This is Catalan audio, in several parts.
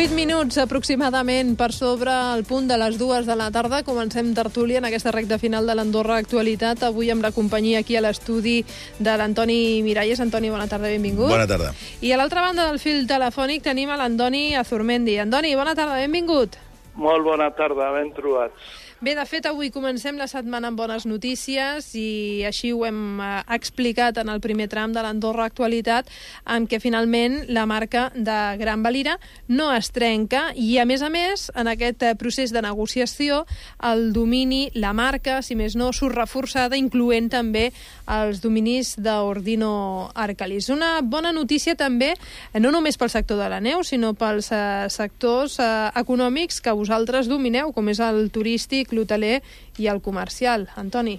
8 minuts aproximadament per sobre el punt de les 2 de la tarda. Comencem tertúlia en aquesta recta final de l'Andorra Actualitat. Avui amb la companyia aquí a l'estudi de l'Antoni Miralles. Antoni, bona tarda, benvingut. Bona tarda. I a l'altra banda del fil telefònic tenim a l'Andoni Azurmendi. Andoni, bona tarda, benvingut. Molt bona tarda, ben trobats. Bé, de fet, avui comencem la setmana amb bones notícies i així ho hem explicat en el primer tram de l'Andorra Actualitat, en què finalment la marca de Gran Valira no es trenca i, a més, en aquest procés de negociació, el domini, la marca, si més no, surt reforçada, incloent també els dominis d'Ordino Arcalis. Una bona notícia també, no només pel sector de la neu, sinó pels sectors econòmics que vosaltres domineu, com és el turístic, l'hoteler i el comercial. Antoni.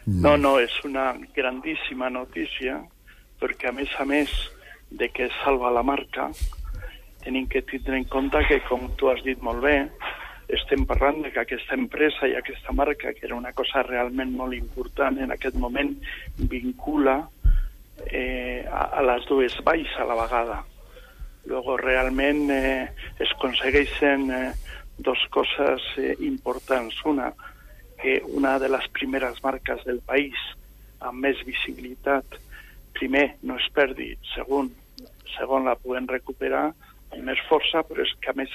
No, és una grandíssima notícia, perquè a més de que salva la marca, tenim que tindre en compte que, com tu has dit molt bé, estem parlant de que aquesta empresa i aquesta marca, que era una cosa realment molt important en aquest moment, vincula a les dues valls a la vegada. Luego, realment es aconsegueixen dos cosas importants. Una, que una de les primeres marques del país amb més visibilitat, primer, no es perdi, segon, la puguem recuperar amb més força, però és que, a més,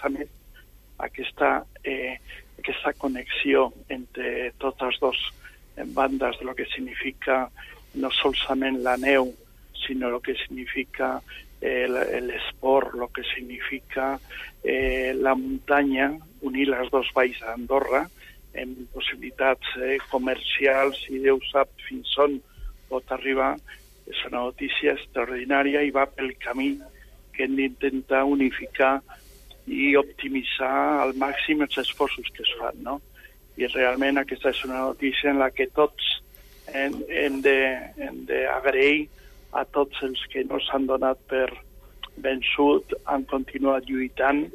aquesta connexió entre totes dues bandes de lo que significa no solament la neu, sinó el que significa l'esport, el que significa la muntanya, unir les dues valls d'Andorra en possibilitats comercials i Déu sap fins on pot arribar. És una notícia extraordinària i va pel camí que hem d'intentar unificar i optimitzar al màxim els esforços que es fan, no? I realment aquesta és una notícia en la que tots hem d'agrair a tots els que no s'han donat per vençut, han continuat lluitant,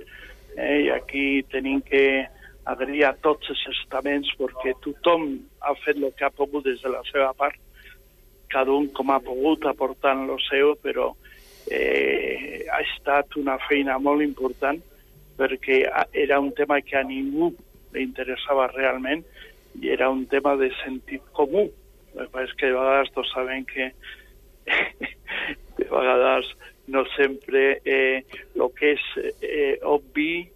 i aquí tenim que agrair a tots els estaments perquè tothom ha fet el que ha pogut des de la seva part, cada un com ha pogut aportant el seu, però ha estat una feina molt important perquè era un tema que a ningú li interessava realment i era un tema de sentit comú. El que passa és que de vegades tots sabem que de vegades no sempre el que és obvi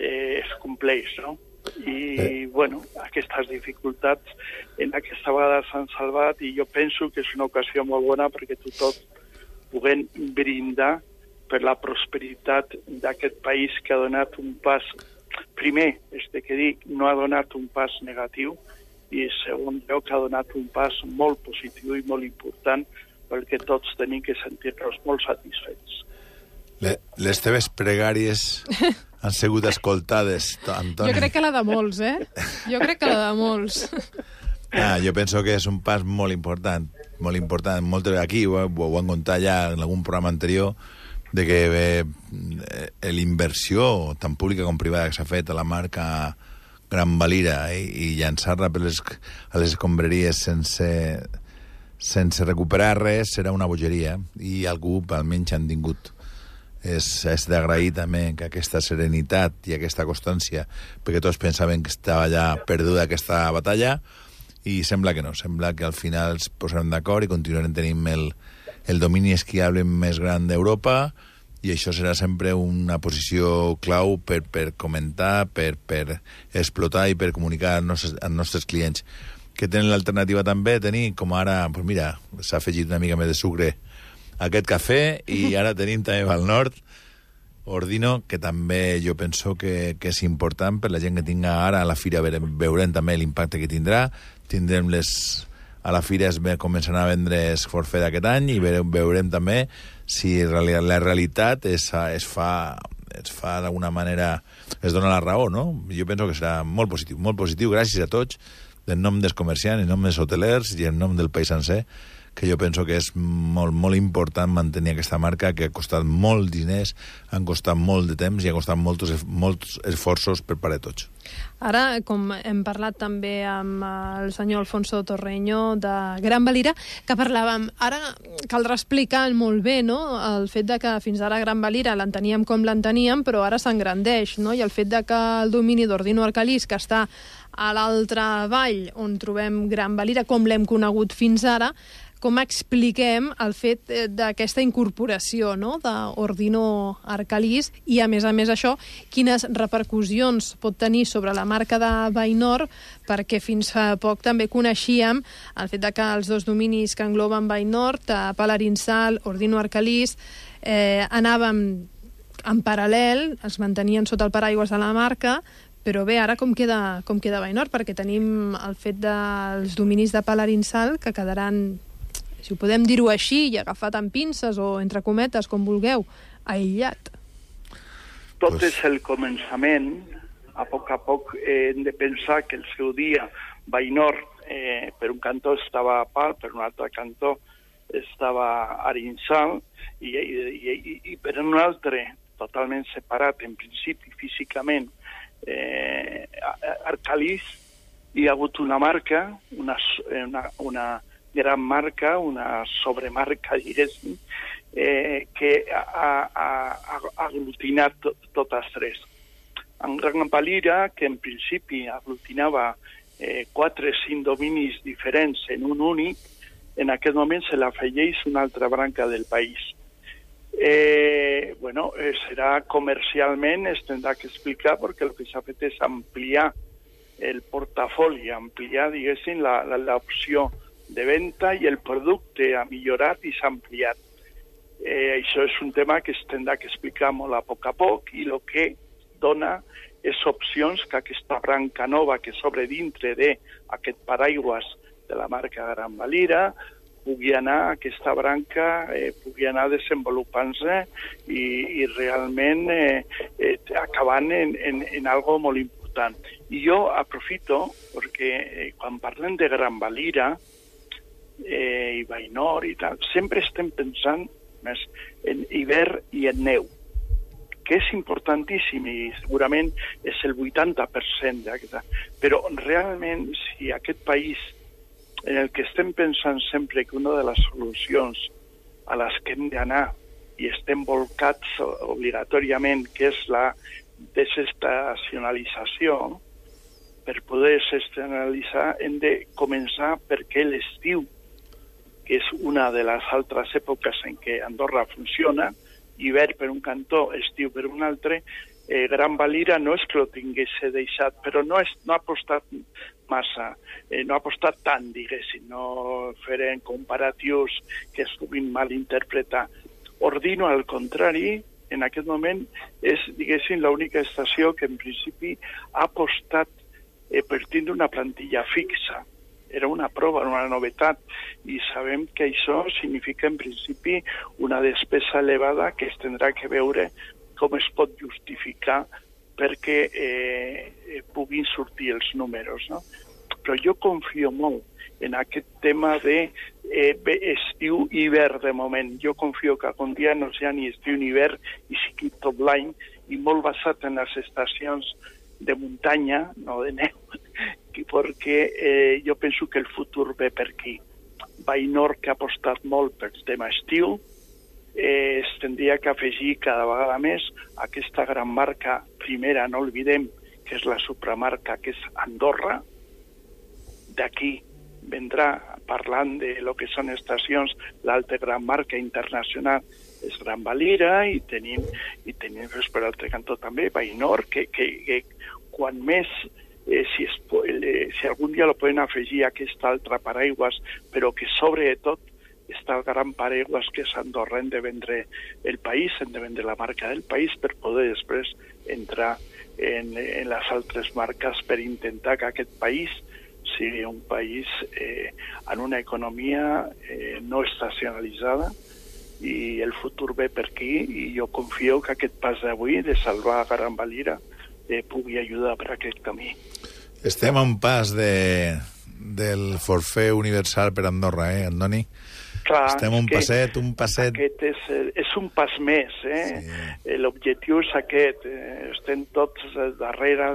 es compleix, no? I, bueno, aquestes dificultats en aquesta vegada s'han salvat i jo penso que és una ocasió molt bona perquè tothom puguem brindar per la prosperitat d'aquest país que ha donat un pas, primer, que dic, no ha donat un pas negatiu i, segon lloc, ha donat un pas molt positiu i molt important perquè tots tenim que sentir-nos molt satisfets. Les teves pregàries han sigut escoltades, Antoni. Jo crec que la de molts, Jo crec que la de molts. Jo penso que és un pas molt important, molt important. Aquí ho han contat ja en algun programa anterior, de que l'inversió, tant pública com privada, que s'ha fet a la marca Gran Valira i llançar-la a les escombraries sense recuperar res serà una bogeria i algú almenys han tingut. És d'agrair també que aquesta serenitat i aquesta constància, perquè tots pensaven que estava ja perduda aquesta batalla i sembla que no, sembla que al final es posarem d'acord i continuarem tenint el domini esquiable més gran d'Europa i això serà sempre una posició clau per comentar, per explotar i per comunicar als nostres clients, que tenen l'alternativa també de tenir, com ara, doncs mira, s'ha afegit una mica més de sucre a aquest cafè i ara tenim també al nord Ordino, que també jo penso que és important per la gent que tinga ara a la fira, veurem també l'impacte que tindrà, tindrem a la fira es començaran a vendre forfait d'aquest any i veurem també si la realitat es fa d'alguna manera, es dona la raó, no? Jo penso que serà molt positiu, gràcies a tots, en nom dels comerciants, en nom dels hotelers i en nom del país sencer, que jo penso que és molt, molt important mantenir aquesta marca, que ha costat molt diners, han costat molt de temps i ha costat molts esforços per part de tots. Ara, com hem parlat també amb el senyor Alfonso Torreño de Gran Valira, que parlàvem, ara caldrà explicar molt bé, no?, el fet de que fins ara Gran Valira l'enteníem com l'enteníem, però ara s'engrandeix, no?, i el fet de que el domini d'Ordino Arcalís, que està a l'altra vall on trobem Gran Valira, com l'hem conegut fins ara, com expliquem el fet d'aquesta incorporació, no?, d'Ordino Arcalís i, a més això, quines repercussions pot tenir sobre la marca de Vallnord, perquè fins fa poc també coneixíem el fet de que els dos dominis que engloben Vallnord, Palarinsal, Ordino Arcalís, anàvem en paral·lel, es mantenien sota el paraigües de la marca, però bé, ara com queda Vallnord? Perquè tenim el fet dels dominis de Palarinsal que quedaran, si ho podem dir-ho així, i agafat amb pinces o entre cometes, com vulgueu, aïllat. Tot és el començament. A poc hem de pensar que el seu dia Vallnord, per un cantó estava a Pal, per un altre cantó estava Arinsal, i per un altre, totalment separat, en principi, físicament, Arcalís, hi ha hagut una marca, una gran marca, una sobremarca, diguéssim, que ha aglutinat totes tres. En Gran Valira, que en principi aglutinava 4 o 5 dominis diferents en un únic, en aquest moment se l'afegeix una altra branca del país. Serà comercialment, es tindrà que explicar, perquè el que s'ha fet és ampliar el portafoli, ampliar, diguéssim, l'opció de venda i el producte ha millorat i s'ha ampliat. Això és un tema que es tindrà que explicar molt a poc, i el que dona és opcions que aquesta branca nova que s'obre dintre d'aquest paraigües de la marca Gran Valira pugui anar, aquesta branca pugui anar desenvolupant-se i realment acabant en algo molt important. I jo aprofito, perquè quan parlem de Gran Valira i Vallnord i tal, sempre estem pensant més en hivern i en neu, que és importantíssim i segurament és el 80% d'aquesta. Però realment, si aquest país en el que estem pensant sempre que una de les solucions a les que hem d'anar i estem volcats obligatòriament, que és la desestacionalització, per poder desestacionalitzar hem de començar perquè l'estiu, que és una de les altres èpoques en què Andorra funciona, hivern per un cantó, estiu per un altre, Gran Valira no és que ho tingués deixat, però no ha apostat massa, no ha apostat tant, diguéssim, no farem comparatius que es puguin malinterpretar. Ordino, al contrari, en aquest moment és, diguéssim, l'única estació que en principi ha apostat per tindre una plantilla fixa. Era una prova, una novetat, i sabem que això significa en principi una despesa elevada que es tindrà que veure com es pot justificar perquè puguin sortir els números, no? Però jo confio molt en aquest tema d'estiu i hivern de moment. Jo confio que algun dia no sigui ni estiu ni hivern i sigui tot l'any, i molt basat en les estacions de muntanya, no de neu, perquè jo penso que el futur ve per aquí. Vallnord, que ha apostat molt pel tema estiu, es tindria que afegir cada vegada més aquesta gran marca primera, no oblidem, que és la supramarca, que és Andorra. D'aquí vendrà, parlant de lo que són estacions, l'altra gran marca internacional és Gran Valira, i tenim per l'altre cantó també Vallnord, que quan més, si algun dia lo poden afegir a aquest altre paraigües, però que sobretot està el gran paraigües que és Andorra, hem de vendre el país, hem de vendre la marca del país per poder després entrar en les altres marques per intentar que aquest país sigui un país en una economia no estacionalitzada, i el futur ve per aquí, i jo confio que aquest pas d'avui de salvar Gran Valira pugui ajudar per aquest camí. Estem a un pas del forfait universal per Andorra, Antoni? Clar, estem un passet... Aquest és un pas més, Sí. L'objectiu és aquest. Estem tots darrere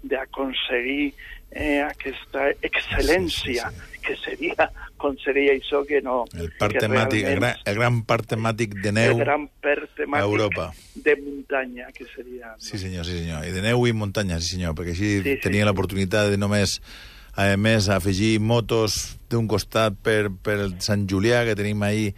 d'aconseguir aquesta excel·lència, que seria, com seria això que no... El gran parc temàtic de neu a Europa. De muntanya, que seria... No? Sí, senyor. I de neu i muntanya, sí, senyor, perquè així tenia l'oportunitat de només... A més, afegir motos d'un costat per el Sant Julià, que tenim ahir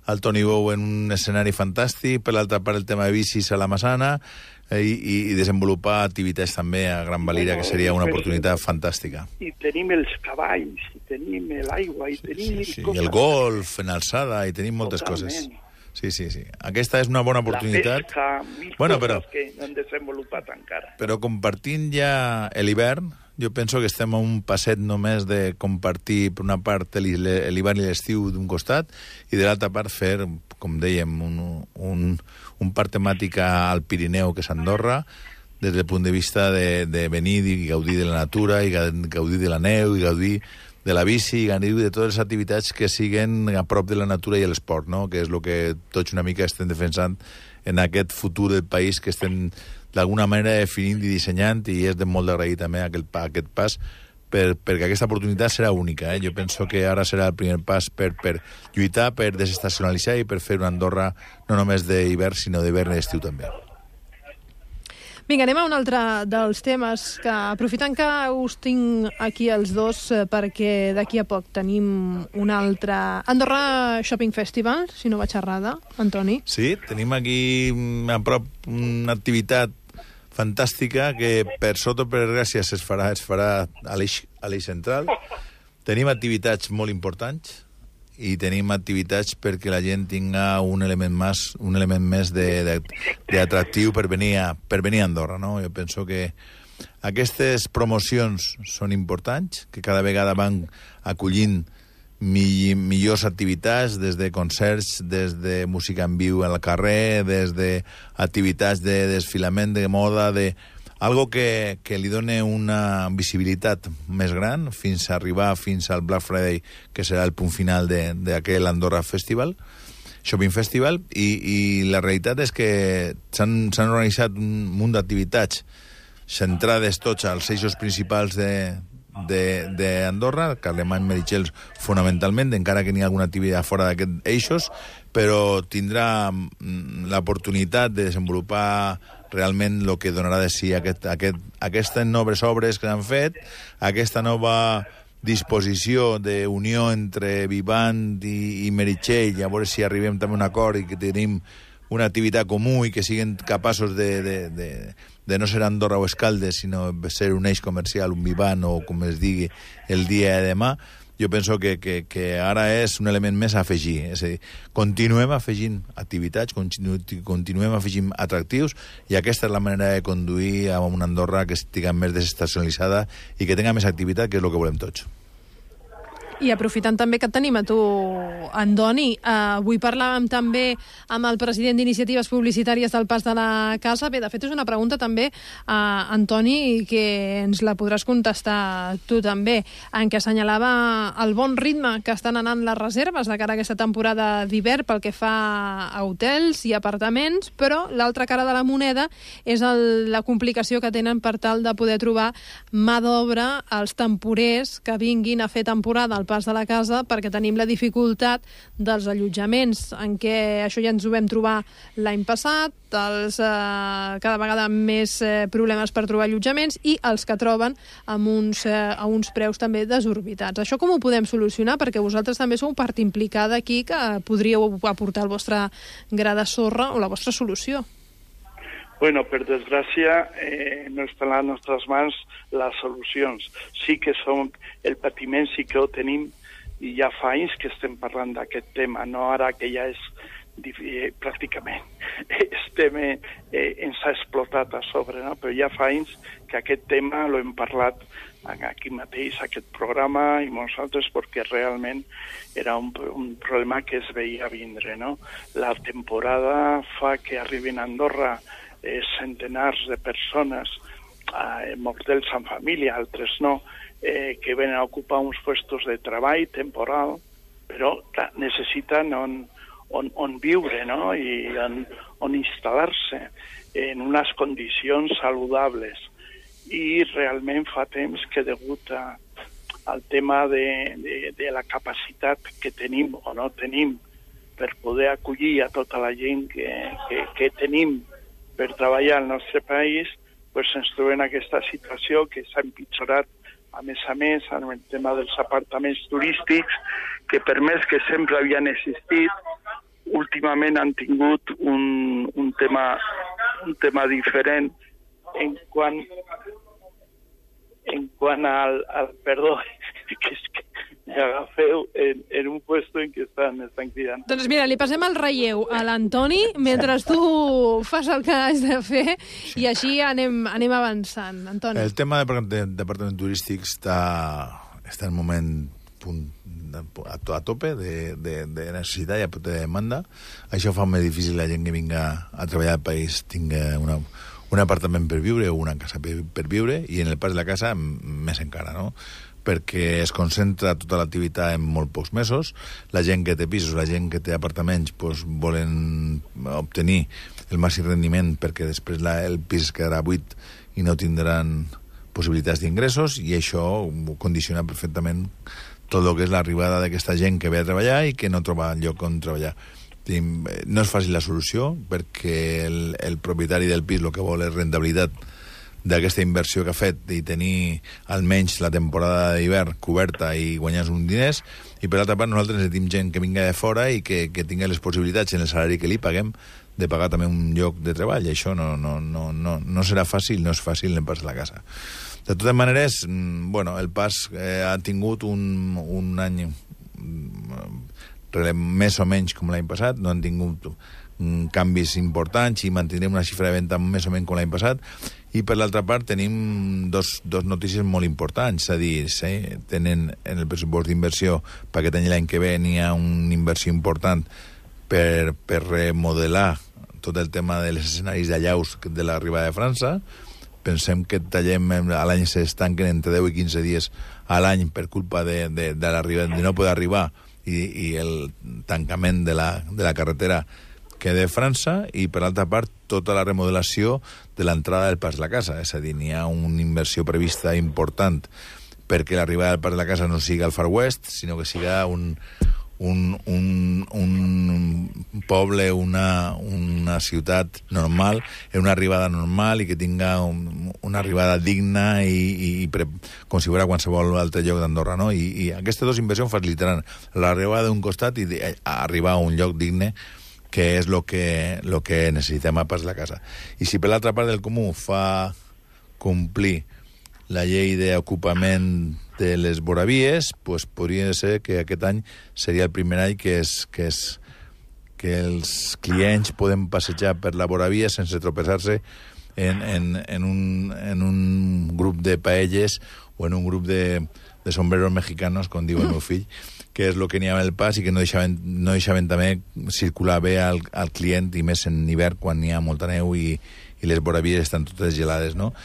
el Toni Bou en un escenari fantàstic, per l'altra part el tema de bicis a la Massana, i desenvolupar activitats també a Gran Valira, que seria una oportunitat fantàstica. I tenim els cavalls, i tenim l'aigua, i tenim... Sí. I el golf en alçada, i tenim moltes coses. Sí. Aquesta és una bona oportunitat. La pesca, coses que no hem desenvolupat encara. Però compartint ja l'hivern, jo penso que estem a un passet només de compartir, per una part, l'hivern i l'estiu d'un costat, i de l'altra part fer, com dèiem, un parc temàtic al Pirineu, que és Andorra, des del punt de vista de venir i gaudir de la natura, i gaudir de la neu, i gaudir de la bici, i gaudir de totes les activitats que siguen a prop de la natura i l'esport, no? Que és el que tots una mica estem defensant en aquest futur del país que estem d'alguna manera definint i dissenyant, i és de molt d'agrair també aquest pas, perquè aquesta oportunitat serà única. Jo penso que ara serà el primer pas per lluitar, per desestacionalitzar i per fer una Andorra no només d'hivern, sinó d'hivern i d'estiu també. Vinga, anem a un altre dels temes, que aprofitant que us tinc aquí els dos, perquè d'aquí a poc tenim un altre Andorra Shopping Festival, si no vaig errada, Antoni. Sí, tenim aquí a prop una activitat fantàstica que per sota per gràcies es farà a l'eix central. Tenim activitats molt importants i tenim activitats perquè la gent tinga un element més d'atractiu per venir a Andorra, no? Jo penso que aquestes promocions són importants, que cada vegada van acollint millors activitats, des de concerts, des de música en viu al carrer, des d'activitats de desfilament de moda, algo que li dona una visibilitat més gran fins a arribar fins al Black Friday, que serà el punt final d'aquell Andorra Festival, Shopping Festival, i la realitat és que s'han organitzat un munt d'activitats centrades tots als eixos principals d'Andorra, Carlemany, Meritxell fonamentalment, encara que n'hi ha alguna activitat fora d'aquests eixos, però tindrà l'oportunitat de desenvolupar realment el que donarà de si aquestes noves obres que han fet, aquesta nova disposició d'unió entre Vivant i Meritxell, a veure si arribem també a un acord i que tenim una activitat comú i que siguin capaços de no ser Andorra o Escaldes, sinó ser un eix comercial, un Vivant o com es digui el dia de demà. Jo penso que ara és un element més a afegir. És a dir, continuem afegint activitats, continuem afegint atractius, i aquesta és la manera de conduir a una Andorra que estigui més desestacionalitzada i que tenga més activitat, que és el que volem tots. I aprofitant també que et tenim a tu, Antoni, avui parlàvem també amb el president d'Iniciatives Publicitàries del Pas de la Casa. Bé, de fet, és una pregunta també, Antoni, que ens la podràs contestar tu també, en què assenyalava el bon ritme que estan anant les reserves de cara a aquesta temporada d'hivern pel que fa a hotels i apartaments, però l'altra cara de la moneda és la complicació que tenen per tal de poder trobar mà d'obra als temporers que vinguin a fer temporada al Pas de la Casa, perquè tenim la dificultat dels allotjaments, en què això ja ens ho vam trobar l'any passat, cada vegada més problemes per trobar allotjaments, i els que troben a uns preus també desorbitats. Això com ho podem solucionar? Perquè vosaltres també sou part implicada aquí, que podríeu aportar el vostre gra de sorra o la vostra solució. Bueno, per desgràcia, no estan a les nostres mans les solucions. Sí que el patiment sí que ho tenim, i ja fa anys que estem parlant d'aquest tema, no ara que ja és pràcticament ens ha explotat a sobre, no? Però ja fa anys que aquest tema l'hem parlat aquí mateix, aquest programa, i molts altres, perquè realment era un problema que es veia vindre, no? La temporada fa que arribin a Andorra centenars de persones, mortals en família, altres no, que venen a ocupar uns puestos de treball temporal, però clar, necessiten on viure, no? I on instal·lar-se en unes condicions saludables. I realment fa temps que degut al tema de la capacitat que tenim o no tenim per poder acollir a tota la gent que tenim per treballar al nostre país, pues ens trobem en aquesta situació que s'ha empitjorat a més, amb el tema dels apartaments turístics, que per més que sempre havien existit, últimament han tingut un tema diferent en quant al perdó, que és que m'agafeu en un puesto en què estan cridant. Doncs mira, li passem el relleu a l'Antoni mentre tu fas el que has de fer i així anem avançant. Antoni. El tema de departaments turístics està en un moment a tope de necessitat i de demanda. Això fa més difícil la gent que vinga a treballar al país tingui un apartament per viure o una casa per viure, i en el pas de la casa més encara, no? Perquè es concentra tota l'activitat en molt pocs mesos. La gent que té pisos, la gent que té apartaments, doncs volen obtenir el màxim rendiment perquè després el pis quedarà buit i no tindran possibilitats d'ingressos, i això condiciona perfectament tot el que és l'arribada d'aquesta gent que ve a treballar i que no troba lloc on treballar. No és fàcil la solució, perquè el propietari del pis el que vol és rentabilitat d'aquesta inversió que ha fet i tenir almenys la temporada d'hivern coberta i guanyar uns diners, i per altra part nosaltres necessitem gent que vinga de fora i que tingui les possibilitats en el salari que li paguem de pagar també un lloc de treball. Això no serà fàcil, no és fàcil en el pas de la casa. De totes maneres, el pas ha tingut un any més o menys com l'any passat, no han tingut canvis importants i mantindrem una xifra de venda més o menys com l'any passat. I per l'altra part tenim dos notícies molt importants, és a dir, tenen en el pressupost d'inversió per aquest any i l'any que ve n'hi ha una inversió important per remodelar tot el tema dels escenaris d'allaus de l'arribada de França. Pensem que a l'any s'estanquen entre 10 i 15 dies a l'any per culpa de no poder arribar i el tancament de la carretera que de França, i per altra part tota la remodelació de l'entrada del pas de la casa. És a dir, n'hi ha una inversió prevista important perquè l'arribada del pas de la casa no siga al Far West, sinó que siga un poble, una ciutat normal, una arribada normal i que tinga una arribada digna i com si fos qualsevol altre lloc d'Andorra, no? I aquestes dues inversions facilitaran l'arribada d'un costat i arribar a un lloc digne, que és el que necessitem a pas de la casa. I si per l'altra part del comú fa complir la llei d'ocupament de les voravies, doncs podria ser que aquest any seria el primer any que els clients poden passejar per la voravia sense tropeçar-se en un grup de paelles o en un grup de sombreros mexicanos, com diu el meu fill, que és el que n'hi ha al pas i que no deixaven també circular bé al client, i més en hivern quan n'hi ha molta neu i les voravies estan totes gelades, no?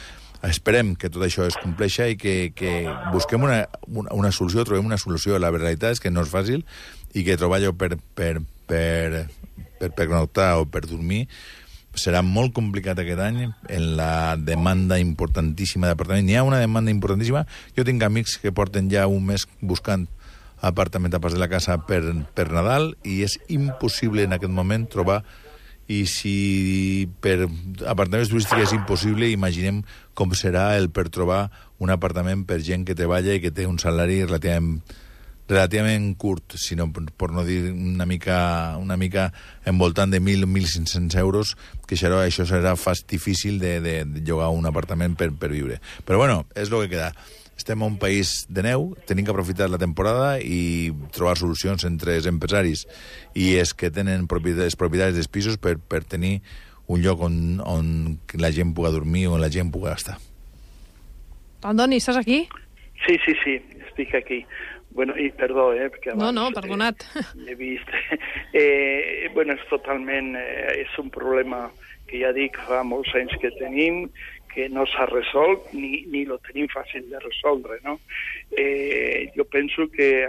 Esperem que tot això es compleixi i que busquem una solució, trobem una solució. La realitat és que no és fàcil i que trobar allò per pernoctar o per dormir serà molt complicat aquest any en la demanda importantíssima d'apartaments. N'hi ha una demanda importantíssima. Jo tinc amics que porten ja un mes buscant apartament a pas de la casa per Nadal i és impossible en aquest moment trobar. I si per apartaments turístics és impossible, imaginem com serà el per trobar un apartament per gent que treballa i que té un salari relativament curt, sinó per no dir una mica envoltant de 1.000 o 1.500 euros, que això serà difícil de llogar un apartament per viure. Però bueno, és el que queda. Estem a un país de neu, tenim que aprofitar la temporada i trobar solucions entre els empresaris i els que tenen els propietaris dels pisos per tenir un lloc on la gent pugui dormir o on la gent pugui estar. Antoni, estàs aquí? Sí, estic aquí. Bueno, i perdó, perquè abans... No, perdonat. He vist. És totalment... és un problema que ja dic fa molts anys que tenim, que no s'ha resolt ni lo tenim fàcil de resoldre, no? Jo penso que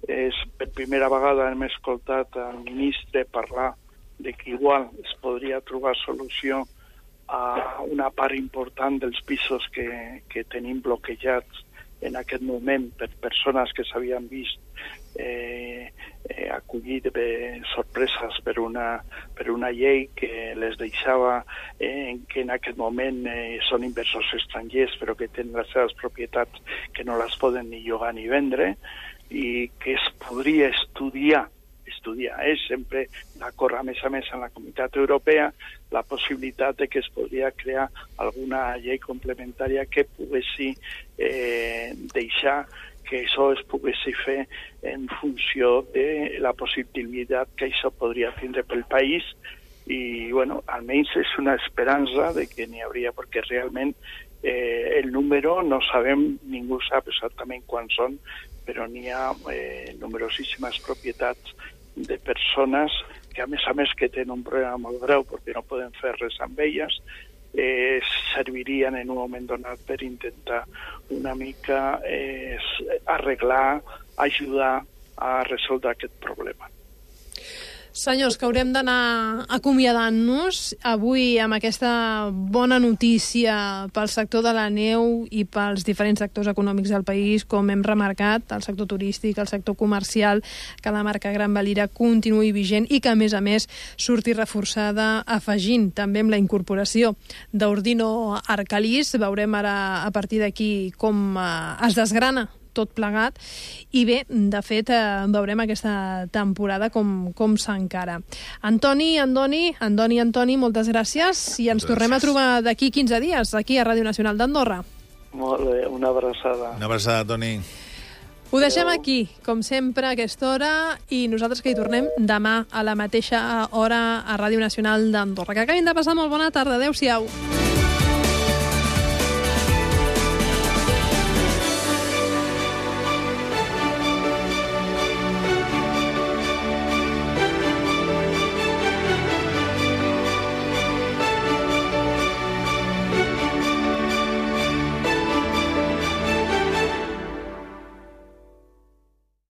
és per primera vegada hem escoltat al ministre parlar de que igual es podria trobar solució a una part important dels pisos que tenim bloquejats en aquest moment per persones que s'havien vist acollit sorpreses per una llei que les deixava que en aquest moment són inversors estrangers però que tenen les seves propietats que no les poden ni llogar ni vendre i que es podria estudiar sempre d'acord a més en la Comunitat Europea la possibilitat de que es podria crear alguna llei complementària que poguessi deixar que això es poguessi fer en funció de la possibilitat que això podria tindre pel país i, bueno, almenys és una esperança de que n'hi hauria, perquè realment el número no sabem, ningú sap exactament quan són, però n'hi ha numerosíssimes propietats de persones que, a més que tenen un problema molt greu perquè no poden fer res amb elles, servirien en un moment donat per intentar una mica arreglar, ajudar a resoldre aquest problema. Senyors, que haurem d'anar acomiadant-nos avui amb aquesta bona notícia pel sector de la neu i pels diferents sectors econòmics del país, com hem remarcat, el sector turístic, el sector comercial, que la marca Gran Valira continuï vigent i que, a més, surti reforçada afegint també amb la incorporació d'Ordino Arcalís. Veurem ara, a partir d'aquí, com es desgrana tot plegat i bé, de fet veurem aquesta temporada com s'encara. Antoni, moltes gràcies i ens tornem a trobar d'aquí 15 dies aquí a Ràdio Nacional d'Andorra. Molt bé, una abraçada. Una abraçada, Toni. Ho deixem aquí, com sempre, a aquesta hora, i nosaltres que hi tornem demà a la mateixa hora a Ràdio Nacional d'Andorra. Que acabin de passar molt bona tarda. Adéu-siau.